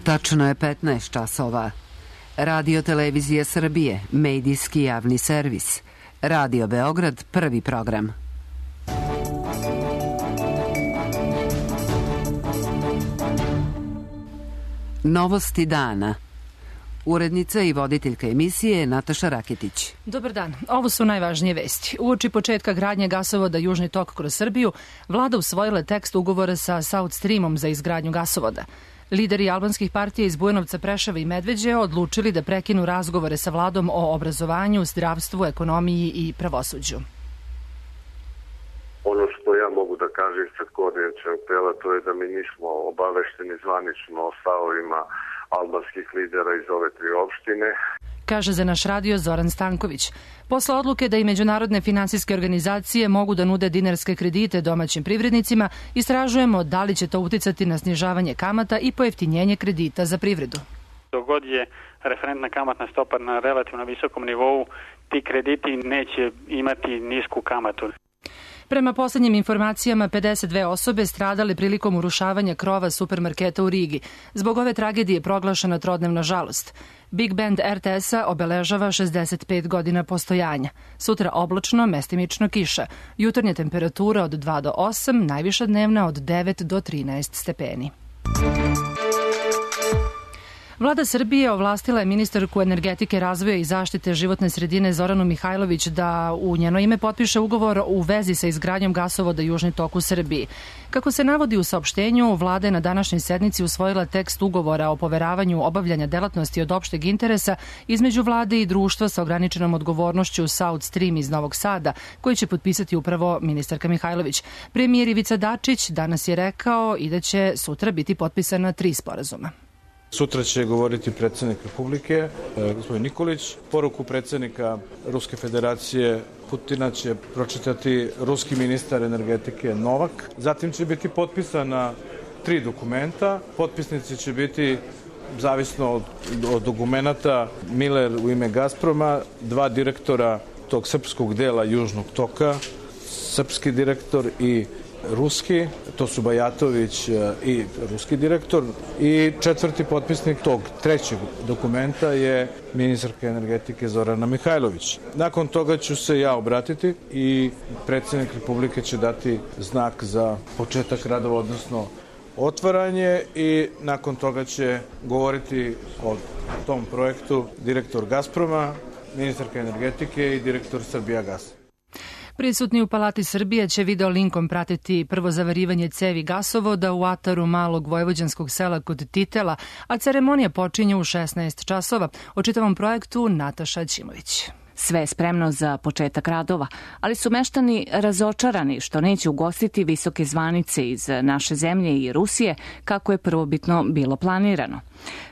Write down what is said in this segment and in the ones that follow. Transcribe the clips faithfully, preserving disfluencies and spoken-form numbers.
Tačno je petnaest časova. Radio Televizija Srbije, medijski javni servis. Radio Beograd, prvi program. Novosti dana. Urednica i voditeljka emisije je Nataša Raketić. Dobar dan. Ovo su najvažnije vesti. Uoči početka gradnje gasovoda Južni tok kroz Srbiju, vlada usvojila tekst ugovora sa South Streamom za izgradnju gasovoda. Lideri albanskih partija iz Bujanovca, Preševa i Medveđe odlučili da prekinu razgovore sa vladom o obrazovanju, zdravstvu, ekonomiji i pravosuđu. Ono što ja mogu da kažem ispred koordinacionog tela, to je da mi nismo obavešteni zvanično o stavovima albanskih lidera iz ove tri opštine. Kaže za naš radio Zoran Stanković. Posle odluke da i međunarodne finansijske organizacije mogu da nude dinarske kredite domaćim privrednicima, istražujemo da li će to uticati na snižavanje kamata i pojeftinjenje kredita za privredu. Dogod je referentna kamatna stopa na relativno visokom nivou, ti krediti neće imati nisku kamatu. Prema poslednjim informacijama, pedeset dve osobe stradale prilikom urušavanja krova supermarketa u Rigi. Zbog ove tragedije proglašena trodnevna žalost. Big Band er te es-a obeležava šezdeset pet godina postojanja. Sutra oblačno, mestimično kiša. Jutarnja temperatura od dva do osam, najviša dnevna od devet do trinaest stepeni. Vlada Srbije ovlastila je ministarku energetike, razvoja i zaštite životne sredine Zoranu Mihajlović da u njeno ime potpiše ugovor u vezi sa izgradnjom gasovoda Južni tok u Srbiji. Kako se navodi u saopštenju, vlada je na današnjoj sednici usvojila tekst ugovora o poveravanju obavljanja delatnosti od opšteg interesa između vlade i društva sa ograničenom odgovornošću South Stream iz Novog Sada, koji će potpisati upravo ministarka Mihajlović. Premijer Ivica Dačić danas je rekao i da će sutra biti potpisana tri sporazuma. Sutra će govoriti predsjednik Republike, gospodin Nikolić. Poruku predsjednika Ruske federacije Putina će pročitati ruski ministar energetike Novak. Zatim će biti potpisana tri dokumenta. Potpisnici će biti, zavisno od, od dokumenta, Miller u ime Gazproma, dva direktora tog srpskog dela Južnog toka, srpski direktor i ruski, to su Bajatović i ruski direktor, i četvrti potpisnik tog trećeg dokumenta je ministarka energetike Zorana Mihajlović. Nakon toga ću se ja obratiti i predsjednik Republike će dati znak za početak radova, odnosno otvaranje, i nakon toga će govoriti o tom projektu direktor Gazproma, ministarka energetike i direktor Srbijagasa. Prisutni u Palati Srbije će video linkom pratiti prvo zavarivanje cevi gasovoda u ataru malog vojvođanskog sela kod Titela, a ceremonija počinje u šesnaest časova. O čitavom projektu Nataša Ćimović. Sve je spremno za početak radova, ali su meštani razočarani što neće ugostiti visoke zvanice iz naše zemlje i Rusije, kako je prvobitno bilo planirano.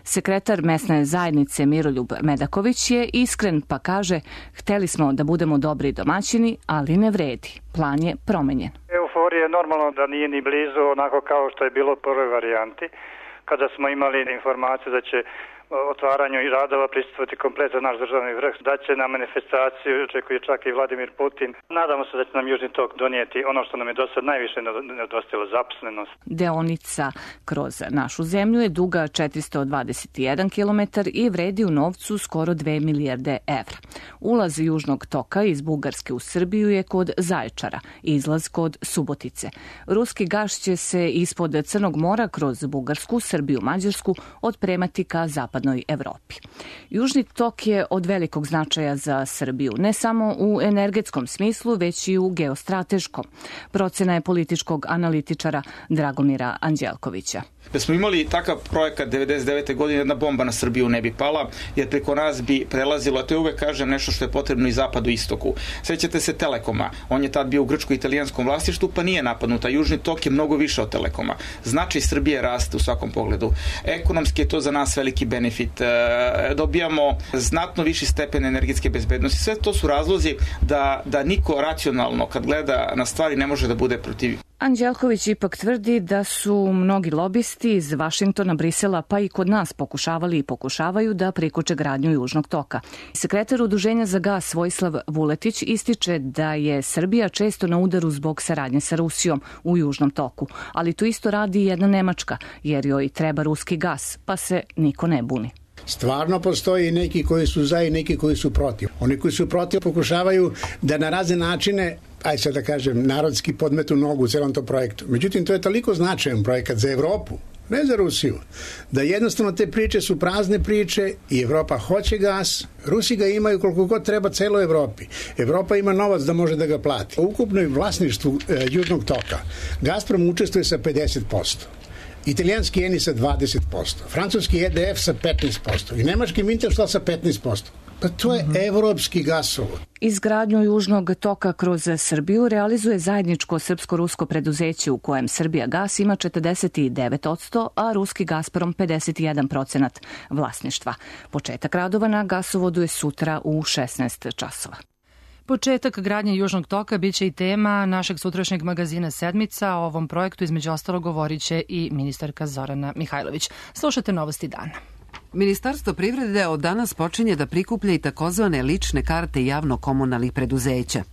Sekretar mesne zajednice Miroljub Medaković je iskren pa kaže: hteli smo da budemo dobri domaćini, ali ne vredi. Plan je promenjen. Euforija je normalno da nije ni blizu onako kao što je bilo u prvoj varijanti, kada smo imali informaciju da će otvaranju i radova prisustvovati kompletan naš državni vrh, da će na manifestaciju očekuje čak i Vladimir Putin. Nadamo se da će nam Južni tok donijeti ono što nam je do sad najviše nedostajalo, zaposlenost. Deonica kroz našu zemlju je duga četiristo dvadeset jedan kilometar i vredi u novcu skoro dve milijarde evra. Ulaz Južnog toka iz Bugarske u Srbiju je kod Zaječara, izlaz kod Subotice. Ruski gas će se ispod Crnog mora kroz Bugarsku, Srbiju, Mađarsku otpremati ka zapadnoj Evropi. Južni tok je od velikog značaja za Srbiju, ne samo u energetskom smislu, već i u geostrateškom. Procena je političkog analitičara Dragomira Anđelkovića. Da smo imali takav projekat devedeset devete godine, jedna bomba na Srbiju ne bi pala, jer preko nas bi prelazilo, a to je uvek, kažem, nešto što je potrebno i zapadu i istoku. Sećate se Telekoma, on je tad bio u grčko-italijanskom vlasništvu, pa nije napadnuta. Južni tok je mnogo više od Telekoma. Značaj Srbije raste u svakom pogledu. Ekonomski je to za nas veliki benefit. Dobijamo znatno viši stepen energetske bezbednosti. Sve to su razlozi da, da niko racionalno, kad gleda na stvari, ne može da bude protiv Anđelković ipak tvrdi da su mnogi lobisti iz Vašingtona, Brisela pa i kod nas pokušavali i pokušavaju da prikoče gradnju Južnog toka. Sekretar Udruženja za gas Vojislav Vuletić ističe da je Srbija često na udaru zbog saradnje sa Rusijom u Južnom toku, ali to isto radi i jedna Nemačka, jer joj treba ruski gas, pa se niko ne buni. Stvarno postoji neki koji su za i neki koji su protiv. Oni koji su protiv pokušavaju da na razne načine, aj sad da kažem, narodski podmetu nogu u celom tom projektu. Međutim, to je toliko značajan projekat za Evropu, ne za Rusiju, da jednostavno te priče su prazne priče i Evropa hoće gas, Rusi ga imaju koliko god treba celoj Evropi. Evropa ima novac da može da ga plati. U ukupnoj vlasništvu e, Južnog toka Gazprom učestvuje sa pedeset posto. Italijanski Eni sa dvadeset posto, francuski E D F sa petnaest posto i nemački Wintershall sa petnaest posto. Pa to je evropski gasovod. Izgradnju Južnog toka kroz Srbiju realizuje zajedničko srpsko-rusko preduzeće u kojem Srbija gas ima četrdeset devet posto, a ruski Gazprom pedeset jedan procenat vlasništva. Početak radova na gasovodu je sutra u šesnaest časova. Početak gradnje Južnog toka biće i tema našeg sutrašnjeg magazina Sedmica. O ovom projektu između ostalo govorit će i ministarka Zorana Mihajlović. Slušate novosti dana. Ministarstvo privrede od danas počinje da prikuplja i takozvane lične karte javno-komunalnih preduzeća.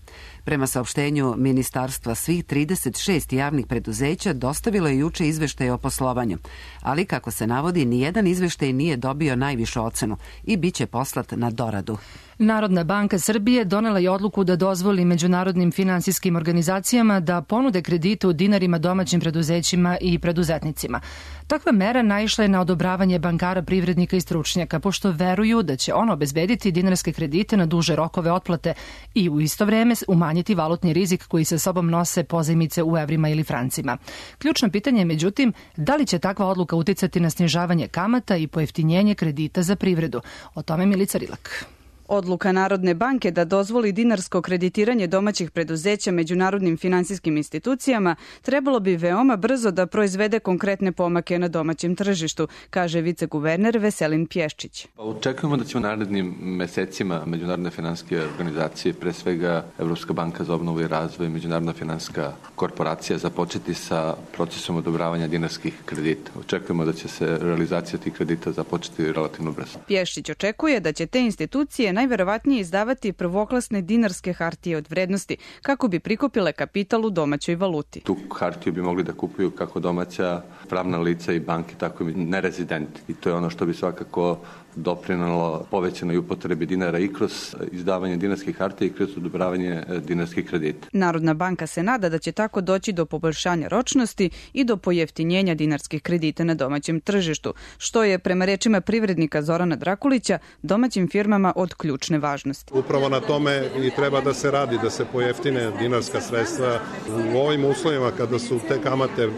Prema saopštenju Ministarstva, svih trideset šest javnih preduzeća dostavilo je juče izveštaj o poslovanju, ali kako se navodi, nijedan izveštaj nije dobio najvišu ocenu i bit će poslat na doradu. Narodna banka Srbije donela je odluku da dozvoli međunarodnim finansijskim organizacijama da ponude kredite u dinarima domaćim preduzećima i preduzetnicima. Takva mera naišla je na odobravanje bankara, privrednika i stručnjaka, pošto veruju da će ono obezbediti dinarske kredite na duže rokove otplate i u isto vreme umanjiti valutni rizik koji sa sobom nose pozajmice u evrima ili francima. Ključno pitanje je, međutim, da li će takva odluka uticati na snižavanje kamata i pojeftinjenje kredita za privredu. O tome Milica Rilak. Odluka Narodne banke da dozvoli dinarsko kreditiranje domaćih preduzeća međunarodnim finansijskim institucijama trebalo bi veoma brzo da proizvede konkretne pomake na domaćem tržištu, kaže viceguverner Veselin Pješčić. Pa očekujemo da će u narednim mesecima međunarodne finansijske organizacije, pre svega Evropska banka za obnovu i razvoj, Međunarodna finansijska korporacija započeti sa procesom odobravanja dinarskih kredita. Očekujemo da će se realizacija tih kredita započeti relativno brzo. Pješčić očekuje da će te institucije najverovatnije izdavati prvoklasne dinarske hartije od vrednosti kako bi prikupile kapital u domaćoj valuti. Tu hartiju bi mogli da kupuju kako domaća pravna lica i banke, tako i nerezidenti. I to je ono što bi svakako doprinalo povećanoj upotrebi dinara i kroz izdavanje dinarskih hartija i kroz odobravanje dinarskih kredita. Narodna banka se nada da će tako doći do poboljšanja ročnosti i do pojeftinjenja dinarskih kredita na domaćem tržištu, što je, prema rečima privrednika Zorana Drakulića, domaćim firmama od ključne važnosti. Upravo na tome i treba da se radi, da se pojeftine dinarska sredstva u ovim uslovima kada su te kamate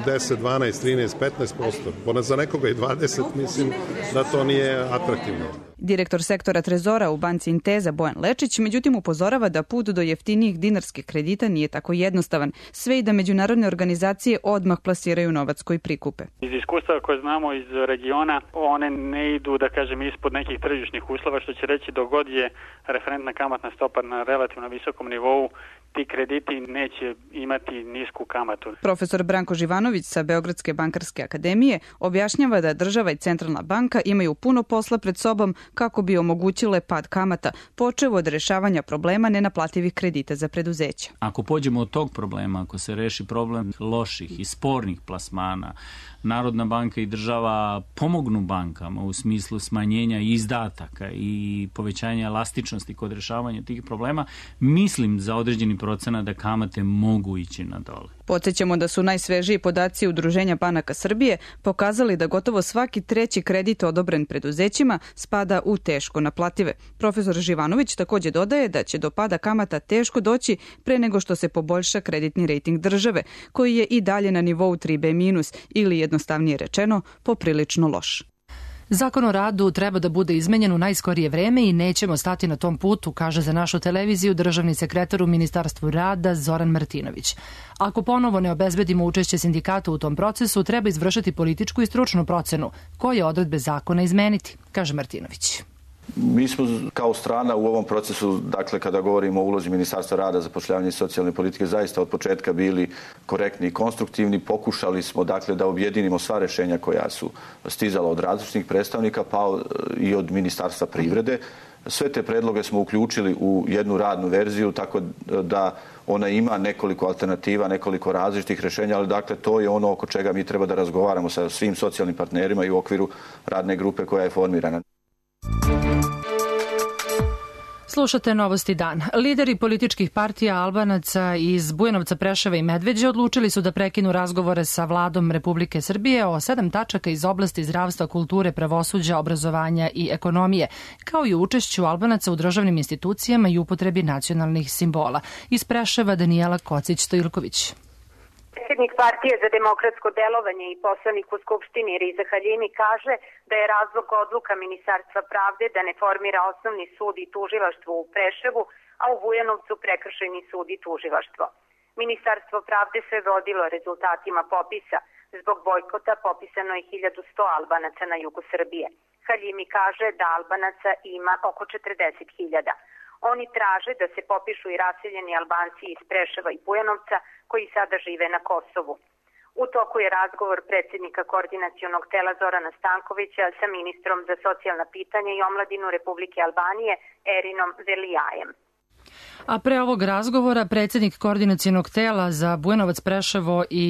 deset, dvanaest, trinaest, petnaest posto. Bona za nekoga i dvadeset, mislim da to nije atraktivno. Direktor sektora Trezora u banci Inteza Bojan Lečić međutim upozorava da put do jeftinijih dinarskih kredita nije tako jednostavan, sve i da međunarodne organizacije odmah plasiraju novac koji prikupe. Iz iskustva koje znamo iz regiona, one ne idu, da kažem, ispod nekih tržišnih uslova, što će reći dogod je referentna kamatna stopa na relativno visokom nivou, ti krediti neće imati nisku kamatu. Profesor Branko Živanović sa Beogradske bankarske akademije objašnjava da država i centralna banka imaju puno posla pred sobom kako bi omogućile pad kamata, počev od rešavanja problema nenaplativih kredita za preduzeća. Ako pođemo od tog problema, ako se reši problem loših i spornih plasmana, Narodna banka i država pomognu bankama u smislu smanjenja izdataka i povećanja elastičnosti kod rešavanja tih problema, mislim za određeni procenat da kamate mogu ići na dole. Podsjećamo da su najsvežiji podaci Udruženja banaka Srbije pokazali da gotovo svaki treći kredit odobren preduzećima spada u teško naplative. Profesor Živanović takođe dodaje da će do pada kamata teško doći pre nego što se poboljša kreditni rejting države, koji je i dalje na nivou tri B minus ili jednostavnije rečeno poprilično loš. Zakon o radu treba da bude izmenjen u najskorije vreme i nećemo stati na tom putu, kaže za našu televiziju državni sekretar u Ministarstvu rada Zoran Martinović. Ako ponovo ne obezbedimo učešće sindikata u tom procesu, treba izvršiti političku i stručnu procenu koje odredbe zakona izmeniti, kaže Martinović. Mi smo kao strana u ovom procesu, dakle kada govorimo o ulozi Ministarstva rada, zapošljavanja i socijalne politike, zaista od početka bili korektni i konstruktivni. Pokušali smo dakle da objedinimo sva rešenja koja su stizala od različitih predstavnika, pa i od Ministarstva privrede. Sve te predloge smo uključili u jednu radnu verziju, tako da ona ima nekoliko alternativa, nekoliko različitih rešenja, ali dakle to je ono oko čega mi treba da razgovaramo sa svim socijalnim partnerima i u okviru radne grupe koja je formirana. Slušate Novosti dan. Lideri političkih partija Albanaca iz Bujanovca, Preševa i Medveđe odlučili su da prekinu razgovore sa vladom Republike Srbije o sedam tačaka iz oblasti zdravstva, kulture, pravosuđa, obrazovanja i ekonomije, kao i učešću Albanaca u državnim institucijama i upotrebi nacionalnih simbola. Iz Preševa Danijela Kocić-Stojilković. Predsjednik partije za demokratsko delovanje i poslanik u Skupštini Riza Haljimi kaže da je razlog odluka Ministarstva pravde da ne formira osnovni sud i tužilaštvo u Preševu, a u Bujanovcu prekršajni sud i tužilaštvo. Ministarstvo pravde se vodilo rezultatima popisa. Zbog bojkota popisano je hiljadu sto Albanaca na jugu Srbije. Haljimi kaže da Albanaca ima oko četrdeset hiljada. Oni traže da se popišu i raseljeni Albanci iz Preševa i Bujanovca koji sada žive na Kosovu. U toku je razgovor predsjednika koordinacionog tela Zorana Stankovića sa ministrom za socijalna pitanja i omladinu Republike Albanije Erinom Velijajem. A pre ovog razgovora predsjednik koordinacionog tela za Bujanovac, Preševo i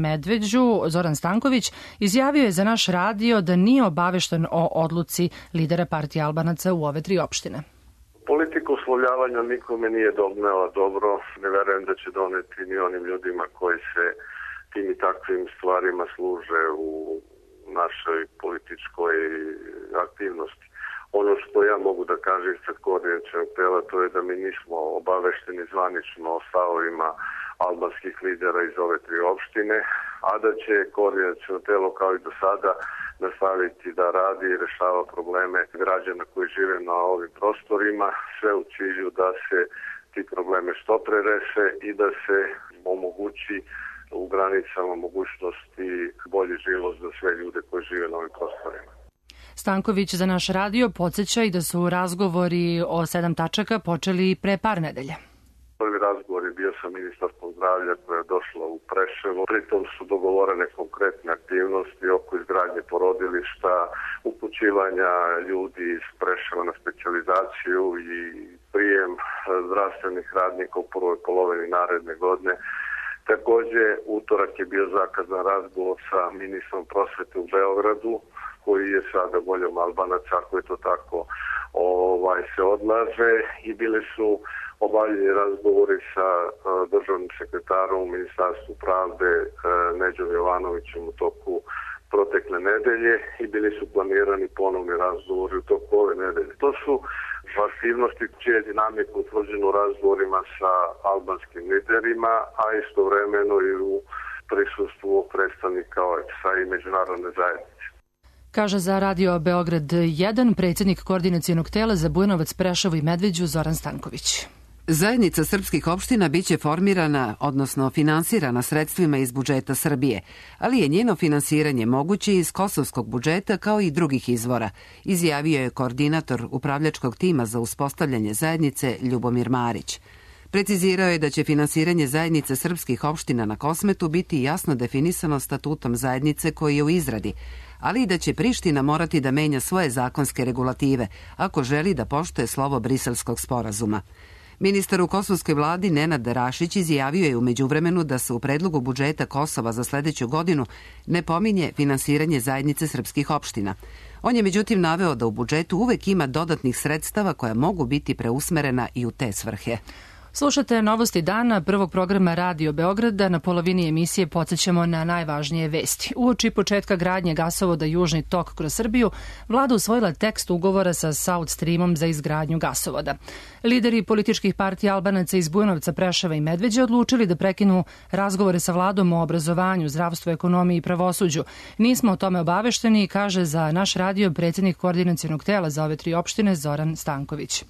Medveđu Zoran Stanković izjavio je za naš radio da nije obavešten o odluci lidera partije Albanaca u ove tri opštine. Politika uslovljavanja nikome nije donela dobro, ne verujem da će doneti ni onim ljudima koji se tim i takvim stvarima služe u našoj političkoj aktivnosti. Ono što ja mogu da kažem sad koordinacionog tela, to je da mi nismo obavešteni zvanično o stavovima albanskih lidera iz ove tri opštine, a da će koordinaciono telo kao i do sada nastaviti da radi i rešava probleme građana koji žive na ovim prostorima, sve u cilju da se ti probleme što pre reše i da se omogući u granicama mogućnosti bolji život za sve ljude koji žive na ovim prostorima. Stanković za naš radio podsjeća i da su razgovori o sedam tačaka počeli pre par nedelja. Prvi razgovor je bio sa ministarstvom zdravlja koja je došla u Preševo. Pritom su dogovorene konkretne aktivnosti oko izgradnje porodilišta, upućivanja ljudi iz Preševa na specijalizaciju i prijem zdravstvenih radnika u prvoj polovini naredne godine. Takođe, utorak je bio zakazan razgovor sa ministrom prosvete u Beogradu, koji je sada voljom Albanaca, ako je to tako ovaj, se odlaže, i bili su obavljeni razgovori sa uh, državnim sekretarom u Ministarstvu pravde uh, Neđom Jovanovićem u toku protekle nedelje i bili su planirani ponovni razgovori u toku ove nedelje. To su aktivnosti čije je dinamika utvrđena u razgovorima sa albanskim liderima, a istovremeno i u prisustvu predstavnika O E P S-a i međunarodne zajednice. Kaže za Radio Beograd jedan predsjednik koordinacionog tela za Bujanovac, Preševo i Medveđu Zoran Stanković. Zajednica srpskih opština biće formirana, odnosno finansirana sredstvima iz budžeta Srbije, ali je njeno finansiranje moguće iz kosovskog budžeta kao i drugih izvora, izjavio je koordinator upravljačkog tima za uspostavljanje zajednice Ljubomir Marić. Precizirao je da će finansiranje zajednice srpskih opština na Kosmetu biti jasno definisano statutom zajednice koji je u izradi, ali i da će Priština morati da menja svoje zakonske regulative ako želi da poštuje slovo Briselskog sporazuma. Ministar u kosovskoj vladi Nenad Rašić izjavio je u međuvremenu da se u predlogu budžeta Kosova za sledeću godinu ne pominje finansiranje zajednice srpskih opština. On je međutim naveo da u budžetu uvek ima dodatnih sredstava koja mogu biti preusmerena i u te svrhe. Slušate Novosti dana prvog programa Radio Beograda. Na polovini emisije podsjećamo na najvažnije vesti. Uoči početka gradnje gasovoda Južni tok kroz Srbiju, vlada usvojila tekst ugovora sa South Streamom za izgradnju gasovoda. Lideri političkih partija Albanaca iz Bujanovca, Preševa i Medveđe odlučili da prekinu razgovore sa vladom o obrazovanju, zdravstvu, ekonomiji i pravosuđu. Nismo o tome obavešteni, kaže za naš radio predsjednik koordinacionog tela za ove tri opštine Zoran Stanković.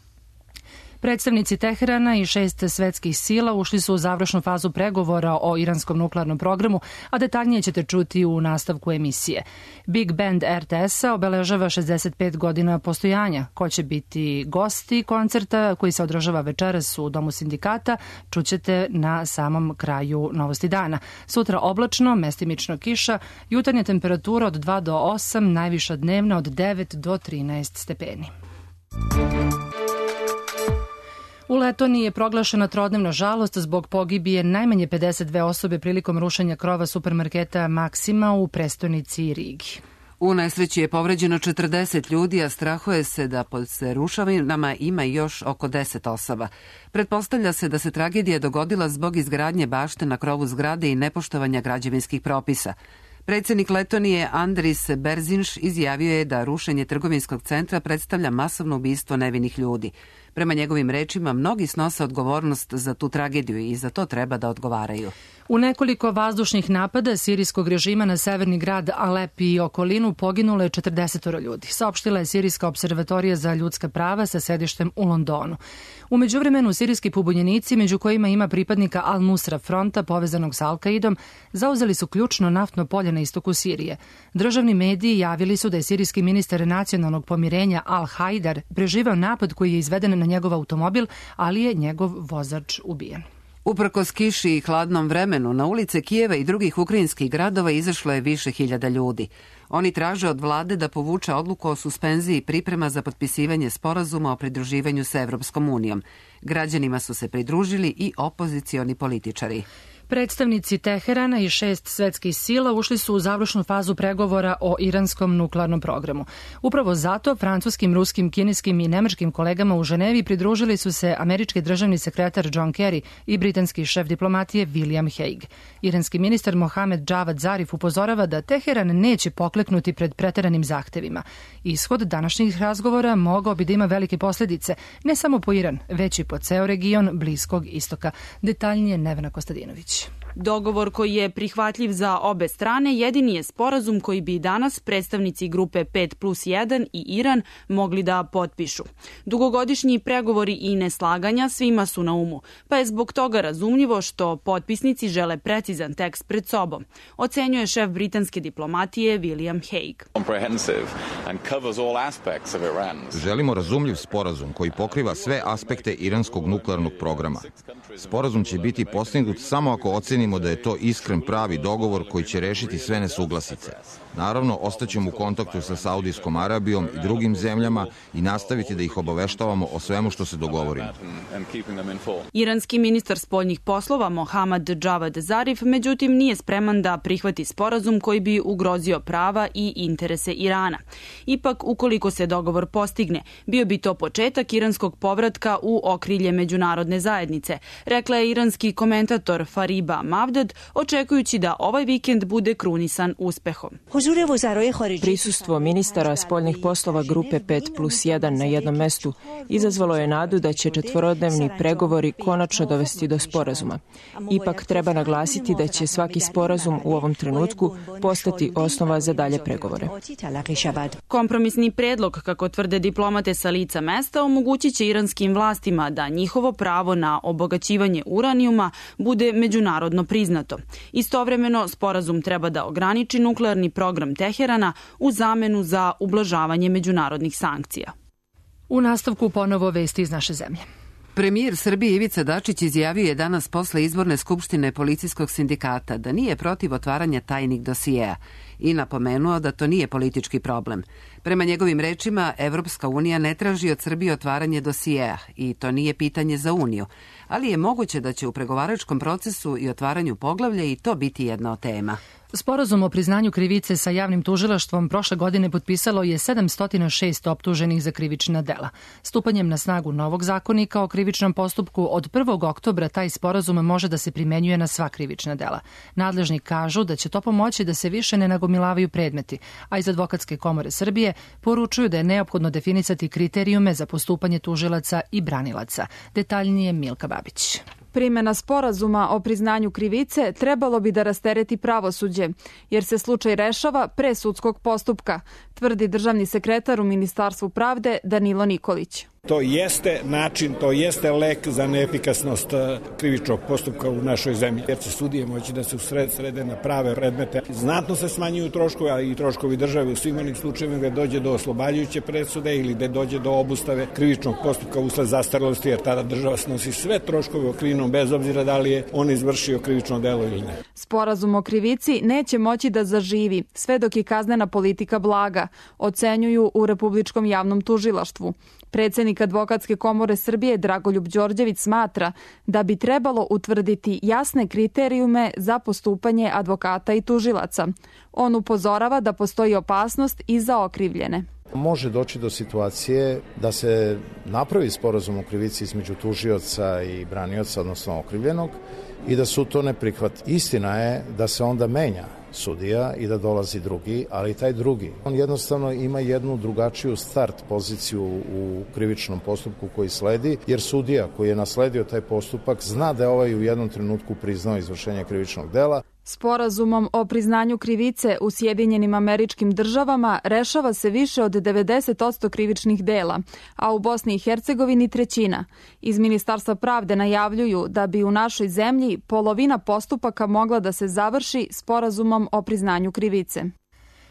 Predstavnici Teherana i šest svetskih sila ušli su u završnu fazu pregovora o iranskom nuklearnom programu, a detaljnije ćete čuti u nastavku emisije. Big Band R T S-a obeležava šezdeset pet godina postojanja. Ko će biti gosti koncerta koji se održava večeras u Domu sindikata, čućete na samom kraju Novosti dana. Sutra oblačno, mestimično kiša, jutarnja temperatura od dva do osam, najviša dnevna od devet do trinaest stepeni. U Letoniji je proglašena trodnevna žalost zbog pogibije najmanje pedeset dve osobe prilikom rušenja krova supermarketa Maksima u prestonici Rigi. U nesreći je povređeno četrdeset ljudi, a strahuje se da pod rušavinama ima još oko deset osoba. Pretpostavlja se da se tragedija dogodila zbog izgradnje bašte na krovu zgrade i nepoštovanja građevinskih propisa. Predsjednik Letonije Andris Berzinš izjavio je da rušenje trgovinskog centra predstavlja masovno ubistvo nevinih ljudi. Prema njegovim rečima, mnogi snose odgovornost za tu tragediju i za to treba da odgovaraju. U nekoliko vazdušnih napada sirijskog režima na severni grad Alep i okolinu poginulo je četrdeset ljudi, saopštila je Sirijska observatorija za ljudska prava sa sedištem u Londonu. U međuvremenu, sirijski pobunjenici, među kojima ima pripadnika Al-Nusra fronta povezanog sa Al-Kaidom, zauzeli su ključno naftno polje na istoku Sirije. Državni mediji javili su da je sirijski ministar nacionalnog pomirenja Al-Haidar preživeo napad koji je izveden na njegov automobil, ali je njegov vozač ubijen. Uprkos kiši i hladnom vremenu, na ulice Kijeva i drugih ukrajinskih gradova izašlo je više hiljada ljudi. Oni traže od vlade da povuče odluku o suspenziji priprema za potpisivanje sporazuma o pridruživanju sa Evropskom unijom. Građanima su se pridružili i opozicioni političari. Predstavnici Teherana i šest svetskih sila ušli su u završnu fazu pregovora o iranskom nuklearnom programu. Upravo zato francuskim, ruskim, kineskim i nemačkim kolegama u Ženevi pridružili su se američki državni sekretar John Kerry i britanski šef diplomatije William Hague. Iranski ministar Mohamed Javad Zarif upozorava da Teheran neće pokleknuti pred preteranim zahtevima. Ishod današnjih razgovora mogao bi da ima velike posljedice, ne samo po Iran, već i po ceo region Bliskog istoka. Detaljnije Nevena Kostadinović. Dogovor koji je prihvatljiv za obe strane jedini je sporazum koji bi danas predstavnici grupe pet plus jedan i Iran mogli da potpišu. Dugogodišnji pregovori i neslaganja svima su na umu, pa je zbog toga razumljivo što potpisnici žele precizan tekst pred sobom, ocenjuje šef britanske diplomatije William Hague. Želimo razumljiv sporazum koji pokriva sve aspekte iranskog nuklearnog programa. Sporazum će biti postignut samo ako ocenimo da je to iskren pravi dogovor koji će rešiti sve nesuglasice. Naravno, ostaćemo u kontaktu sa Saudijskom Arabijom i drugim zemljama i nastaviti da ih obaveštavamo o svemu što se dogovorimo. Iranski ministar spoljnih poslova Mohamed Javad Zarif međutim nije spreman da prihvati sporazum koji bi ugrozio prava i interese Irana. Ipak, ukoliko se dogovor postigne, bio bi to početak iranskog povratka u okrilje međunarodne zajednice, rekla je iranski komentator Fariba Mavdad, očekujući da ovaj vikend bude krunisan uspehom. Prisustvo ministara spoljnih poslova grupe pet plus jedan na jednom mestu izazvalo je nadu da će četvorodnevni pregovori konačno dovesti do sporazuma. Ipak treba naglasiti da će svaki sporazum u ovom trenutku postati osnova za dalje pregovore. Kompromisni predlog, kako tvrde diplomate sa lica mesta, omogućit će iranskim vlastima da njihovo pravo na obogaćivanje uranijuma bude međunarodno priznato. Istovremeno, sporazum treba da ograniči nuklearni program Teherana u zamenu za ublažavanje međunarodnih sankcija. U nastavku ponovo vesti iz naše zemlje. Premijer Srbije Ivica Dačić izjavio je danas posle izborne skupštine policijskog sindikata da nije protiv otvaranja tajnih dosijeja i napomenuo da to nije politički problem. Prema njegovim rečima, Evropska unija ne traži od Srbije otvaranje dosijeja i to nije pitanje za Uniju, ali je moguće da će u pregovaračkom procesu i otvaranju poglavlja i to biti jedna od tema. Sporazum o priznanju krivice sa javnim tužilaštvom prošle godine potpisalo je sedamsto šest optuženih za krivična dela. Stupanjem na snagu novog zakonika o krivičnom postupku od prvog oktobra taj sporazum može da se primenjuje na sva krivična dela. Nadležni kažu da će to pomoći da se više ne nagomilavaju predmeti, a iz Advokatske komore Srbije poručuju da je neophodno definisati kriterijume za postupanje tužilaca i branilaca. Detaljnije Milka Babić. Primjena sporazuma o priznanju krivice trebalo bi da rastereti pravosuđe, jer se slučaj rešava pre sudskog postupka, tvrdi državni sekretar u Ministarstvu pravde Danilo Nikolić. To jeste način, to jeste lek za neefikasnost krivičnog postupka u našoj zemlji, jer će sudije moći da se usred srede na prave predmete. Znatno se smanjuju troškovi, ali i troškovi države u svim onim slučajevima gde dođe do oslobađajuće presude ili gde dođe do obustave krivičnog postupka usled zastarelosti, jer tada država snosi sve troškove okrivljenom bez obzira da li je on izvršio krivično delo ili ne. Sporazum o krivici neće moći da zaživi sve dok je kaznena politika blaga, ocenjuju u Republičkom javnom tužilaštvu. Predsednik Advokatske komore Srbije Dragoljub Đorđević smatra da bi trebalo utvrditi jasne kriterijume za postupanje advokata i tužilaca. On upozorava da postoji opasnost i za okrivljene. Može doći do situacije da se napravi sporazum o krivici između tužioca i branioca, odnosno okrivljenog, i da su to ne prihvat. Istina je da se onda menja sudija i da dolazi drugi, ali taj drugi, on jednostavno ima jednu drugačiju start poziciju u krivičnom postupku koji sledi, jer sudija koji je nasledio taj postupak zna da je ovaj u jednom trenutku priznao izvršenje krivičnog dela. Sporazumom o priznanju krivice u Sjedinjenim Američkim Državama rešava se više od devedeset posto krivičnih dela, a u Bosni i Hercegovini trećina. Iz Ministarstva pravde najavljuju da bi u našoj zemlji polovina postupaka mogla da se završi sporazumom o priznanju krivice.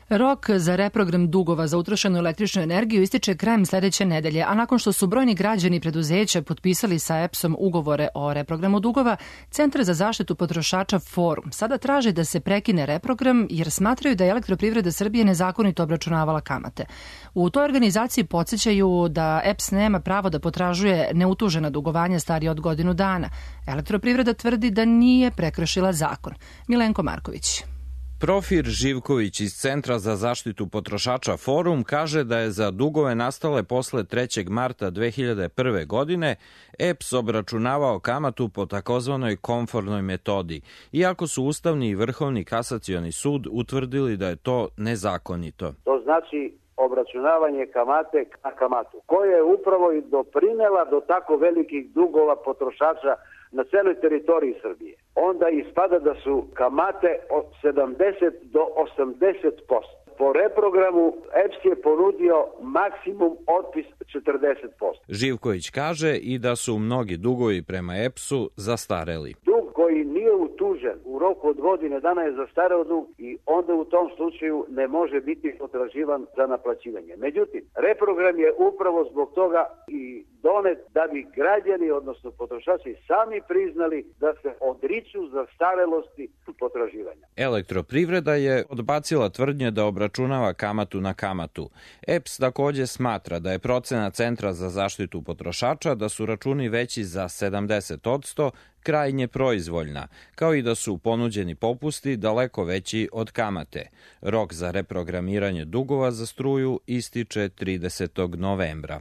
Rok za reprogram dugova za utrošenu električnu energiju ističe krajem sledeće nedelje, a nakon što su brojni građani i preduzeća potpisali sa E P S-om ugovore o reprogramu dugova, Centar za zaštitu potrošača Forum sada traže da se prekine reprogram jer smatraju da je Elektroprivreda Srbije nezakonito obračunavala kamate. U toj organizaciji podsjećaju da E P S nema pravo da potražuje neutužena dugovanja starije od godinu dana. Elektroprivreda tvrdi da nije prekršila zakon. Milenko Marković. Profir Živković iz Centra za zaštitu potrošača Forum kaže da je za dugove nastale posle trećeg marta dve hiljade prve. godine E P S obračunavao kamatu po takozvanoj komfornoj metodi, iako su Ustavni i Vrhovni kasacioni sud utvrdili da je to nezakonito. To znači obračunavanje kamate na kamatu, koja je upravo i doprinela do tako velikih dugova potrošača na celoj teritoriji Srbije. Onda ispada da su kamate od sedamdeset do osamdeset posto. Po reprogramu E P S je ponudio maksimum otpis četrdeset posto. Živković kaže i da su mnogi dugovi prema E P S-u zastareli. Dug koji nije utužen u roku od godine dana je zastareo dug i onda u tom slučaju ne može biti potraživan za naplaćivanje. Međutim, reprogram je upravo zbog toga i donet da bi građani, odnosno potrošači, sami priznali da se odriču zastarelosti potraživanja. Elektroprivreda je odbacila tvrdnje da obračunava kamatu na kamatu. E P S takođe smatra da je procena Centra za zaštitu potrošača da su računi veći za sedamdeset posto krajnje proizvoljna, kao i da su ponuđeni popusti daleko veći od kamate. Rok za reprogramiranje dugova za struju ističe tridesetog novembra.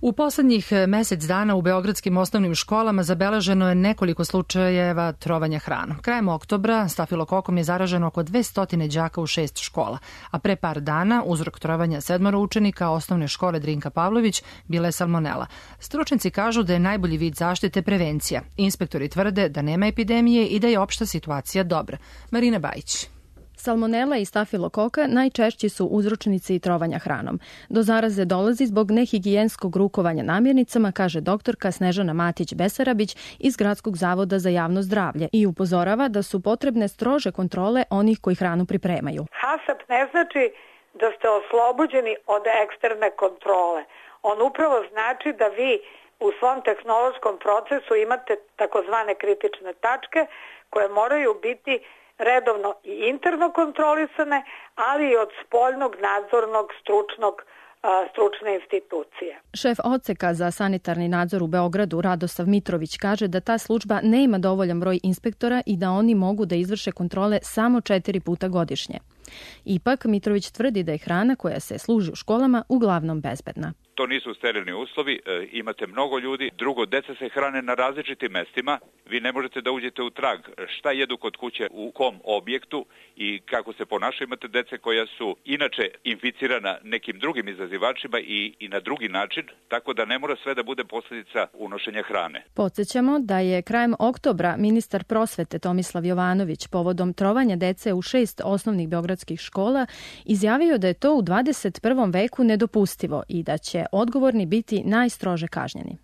U poslednjih mesec dana u beogradskim osnovnim školama zabeleženo je nekoliko slučajeva trovanja hranom. Krajem oktobra stafilokokom je zaraženo oko dvesta đaka u šest škola, a pre par dana uzrok trovanja sedmoro učenika osnovne škole Drinka Pavlović bila je salmonela. Stručnici kažu da je najbolji vid zaštite prevencija. Inspektori tvrde da nema epidemije i da je opšta situacija dobra. Marina Bajić. Salmonela i stafilokoka najčešći su uzročnici trovanja hranom. Do zaraze dolazi zbog nehigijenskog rukovanja namirnicama, kaže doktorka Snežana Matić-Besarabić iz Gradskog zavoda za javno zdravlje i upozorava da su potrebne strože kontrole onih koji hranu pripremaju. HASAP ne znači da ste oslobođeni od eksterne kontrole. On upravo znači da vi u svom tehnološkom procesu imate takozvane kritične tačke koje moraju biti redovno i interno kontrolisane, ali i od spoljnog nadzornog stručnog stručne institucije. Šef odseka za sanitarni nadzor u Beogradu Radosav Mitrović kaže da ta služba ne ima dovoljan broj inspektora i da oni mogu da izvrše kontrole samo četiri puta godišnje. Ipak, Mitrović tvrdi da je hrana koja se služi u školama uglavnom bezbedna. To nisu sterilni uslovi, e, imate mnogo ljudi, drugo, deca se hrane na različitim mestima, vi ne možete da uđete u trag šta jedu kod kuće, u kom objektu i kako se ponašaju. Imate dece koja su inače inficirana nekim drugim izazivačima i, i na drugi način, tako da ne mora sve da bude posljedica unošenja hrane. Podsjećamo da je krajem oktobra ministar prosvete Tomislav Jovanović povodom trovanja dece u šest osnovnih beogradskih beogradskih škola, izjavio da je to u dvadeset prvom veku nedopustivo i da će odgovorni biti najstrože kažnjeni.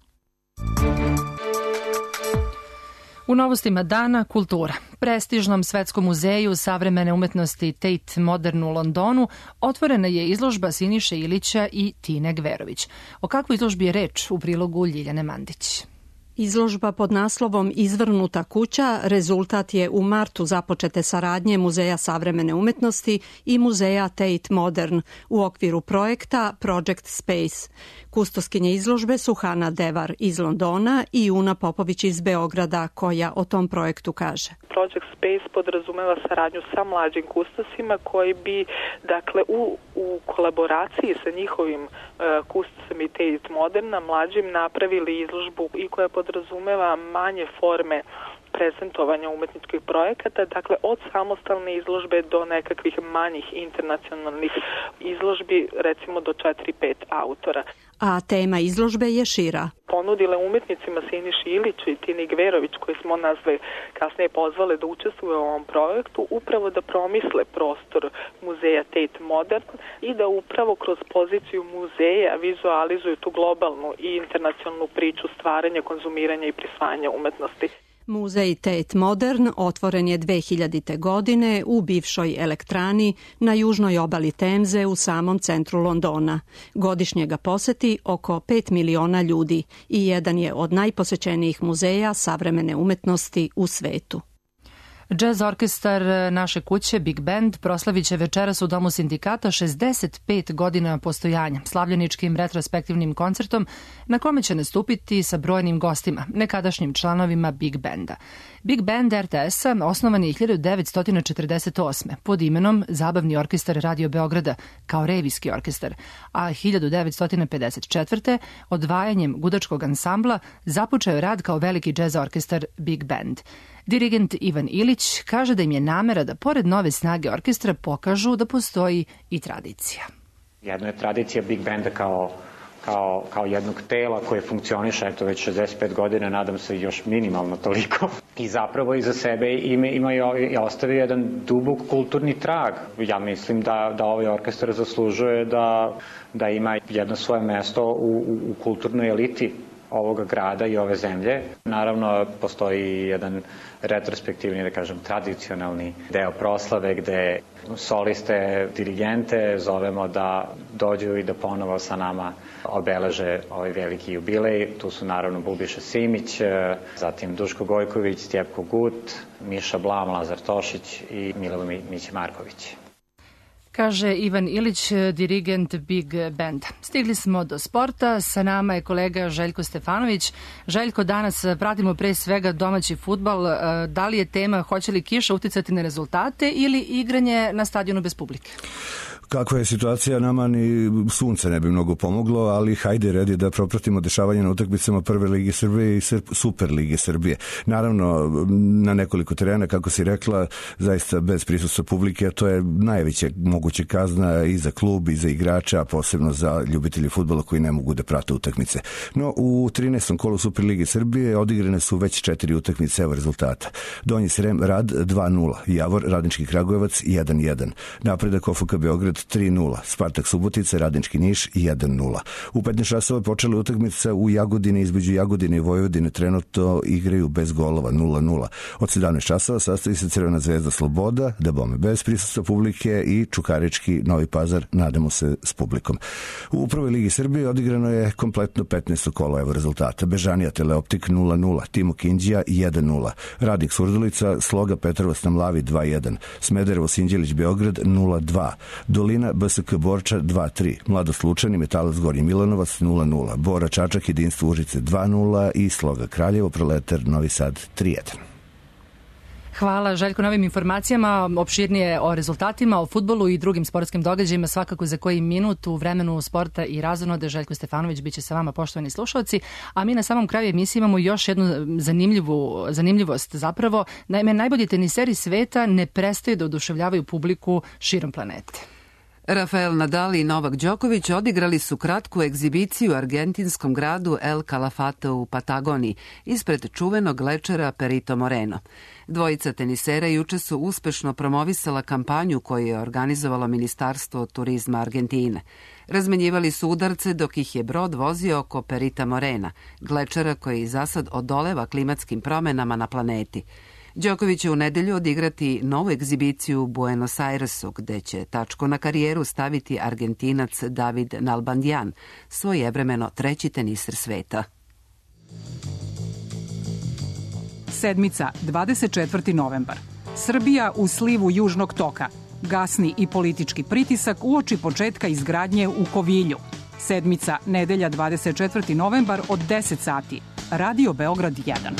U novostima dana kultura. Prestižnom Svetskom muzeju savremene umetnosti Tate Modern u Londonu otvorena je izložba Siniše Ilića i Tine Gverović. O kakvoj izložbi je reč u prilogu Ljiljane Mandić? Izložba pod naslovom Izvrnuta kuća rezultat je u martu započete saradnje Muzeja savremene umetnosti i Muzeja Tate Modern u okviru projekta Project Space. Kustoskinje izložbe su Hana Devar iz Londona i Una Popović iz Beograda, koja o tom projektu kaže. Project Space podrazumeva saradnju sa mlađim kustosima koji bi, dakle, u, u kolaboraciji sa njihovim uh, kustosima i Tate Moderna mlađim napravili izložbu i koja podrazumeva manje forme prezentovanja umetničkih projekata, dakle od samostalne izložbe do nekakvih manjih internacionalnih izložbi, recimo do četiri pet autora. A tema izložbe je šira. Ponudile umetnicima Siniši Iliću i Tini Gverović, koje smo nazve kasnije pozvale da učestvuju u ovom projektu, upravo da promisle prostor muzeja Tate Modern i da upravo kroz poziciju muzeja vizualizuju tu globalnu i internacionalnu priču stvaranja, konzumiranja i prisvajanja umetnosti. Muzej Tate Modern otvoren je dve hiljadite. godine u bivšoj elektrani na južnoj obali Temze u samom centru Londona. Godišnje ga poseti oko pet miliona ljudi i jedan je od najposećenijih muzeja savremene umetnosti u svetu. Jazz orkestar naše kuće Big Band proslavit će večeras u Domu sindikata šezdeset pet godina postojanja, slavljeničkim retrospektivnim koncertom na kome će nastupiti sa brojnim gostima, nekadašnjim članovima Big Banda. Big Band er te es-a osnovan je hiljadu devetsto četrdeset osme pod imenom Zabavni orkestar Radio Beograda kao revijski orkestar, a hiljadu devetsto pedeset četvrte odvajanjem gudačkog ansambla započeo je rad kao veliki džez orkestar Big Band. Dirigent Ivan Ilić kaže da im je namera da pored nove snage orkestra pokažu da postoji i tradicija. Jedno je tradicija Big Banda kao, kao, kao jednog tela koje funkcioniše eto već šezdeset pet godina, nadam se još minimalno toliko. I zapravo iza sebe ima, ima i ostavio jedan dubok kulturni trag. Ja mislim da, da ovaj orkestar zaslužuje da, da ima jedno svoje mesto u, u, u kulturnoj eliti ovoga grada i ove zemlje. Naravno, postoji jedan retrospektivni, da kažem, tradicionalni deo proslave gde soliste, dirigente zovemo da dođu i da ponovo sa nama obeleže ovaj veliki jubilej. Tu su naravno Bubiša Simić, zatim Duško Gojković, Stjepko Gut, Miša Blam, Lazar Tošić i Milovo Mić Marković. Kaže Ivan Ilić, dirigent Big Banda. Stigli smo do sporta, sa nama je kolega Željko Stefanović. Željko, danas pratimo pre svega domaći fudbal. Da li je tema hoće li kiša uticati na rezultate ili igranje na stadionu bez publike? Kakva je situacija, nama ni sunce ne bi mnogo pomoglo, ali hajde red je da propratimo dešavanje na utakmicama Prve lige Srbije i Super lige Srbije. Naravno, na nekoliko terena, kako si rekla, zaista bez prisustva publike, to je najveća moguća kazna i za klub i za igrača, a posebno za ljubitelje fudbala koji ne mogu da prate utakmice. No, u trinaestom kolu Super lige Srbije odigrane su već četiri utakmice, evo rezultata. Donji Srem Rad dva nula, Javor Radnički Kragujevac jedan jedan, Napredak O F K Beograd tri nula, Spartak Subotica, Radnički Niš jedan nula. U petnaest časova počela utakmica u Jagodini, između Jagodine i Vojvodine trenutno igraju bez golova nula nula. Od sedamnaest časova sastoji se Crvena zvezda Sloboda, dabome bez prisustva publike, i Čukarički Novi Pazar, nadamo se s publikom. U Prvoj ligi Srbije odigrano je kompletno petnaesto kolo, evo rezultata. Bežanija Teleoptik nula nula, Timo Kindija jedan nula, Radnik Surdulica, Sloga Petrovac na Mlavi dva jedan, Smederevo Sinđelić Beograd nula dva, Dolina B S K Borča dva tri, Mladost Lučani Metalac Gornji Milanovac nula nula, Bora Čačak Jedinstvo Užice dva nula i Sloga Kraljevo Proletar Novi Sad tri jedan. Hvala Željko na ovim informacijama. Opširnije o rezultatima, o fudbalu i drugim sportskim događajima svakako za koji minut u vremenu sporta i razonode. Željko Stefanović biće sa vama, poštovani slušalci, a mi na samom kraju emisije imamo još jednu zanimljivu, zanimljivost zapravo. Naime, najbolji teniseri sveta ne prestaju da oduševljavaju publiku širom planete. Rafael Nadal i Novak Đoković odigrali su kratku egzibiciju u argentinskom gradu El Calafate u Patagoniji ispred čuvenog lečera Perito Moreno. Dvojica tenisera juče su uspešno promovisala kampanju koju je organizovalo Ministarstvo turizma Argentine. Razmenjivali su udarce dok ih je brod vozio oko Perita Morena, glečera koji za sad odoleva klimatskim promenama na planeti. Đoković će u nedelju odigrati novu egzibiciju u Buenos Airesu, gde će tačku na karijeru staviti Argentinac David Nalbandian, svojevremeno treći teniser sveta. Sedmica, dvadeset četvrti novembar. Srbija u slivu Južnog toka. Gasni i politički pritisak uoči početka izgradnje u Kovilju. Sedmica, nedelja, dvadeset četvrti novembar od deset sati. Radio Beograd jedan.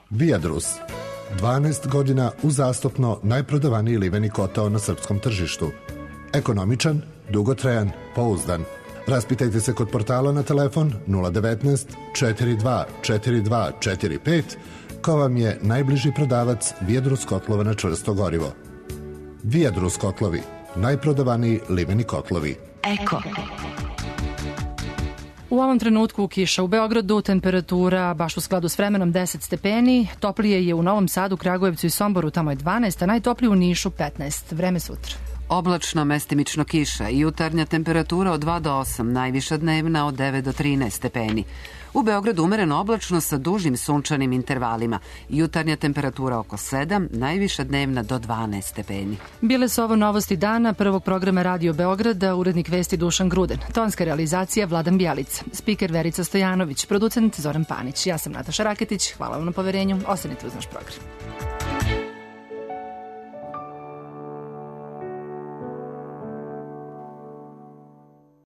Viadrus. dvanaest godina uzastopno najprodavaniji liveni kotao na srpskom tržištu. Ekonomičan, dugotrajan, pouzdan. Raspitajte se kod portala na telefon nula devetnaest četiri dva četiri dva četiri pet ko vam je najbliži prodavac Viadrus kotlova na čvrsto gorivo. Viadrus kotlovi, najprodavaniji liveni kotlovi. Eko. U ovom trenutku kiša u Beogradu, temperatura baš u skladu s vremenom deset stepeni, toplije je u Novom Sadu, Kragujevcu i Somboru, tamo je dvanaest, a najtoplije u Nišu petnaest. Vreme sutra. Oblačno, mestimično kiša i jutarnja temperatura od dva do osam, najviša dnevna od devet do trinaest stepeni. U Beogradu umereno oblačno sa dužim sunčanim intervalima. Jutarnja temperatura oko sedam, najviša dnevna do dvanaest stepeni. Bile su ovo novosti dana prvog programa Radio Beograda, urednik vesti Dušan Gruden, tonska realizacija Vladan Bjelica, spiker Verica Stojanović, producent Zoran Panić. Ja sam Nataša Raketić, hvala vam na poverenju, ostanite uz naš program.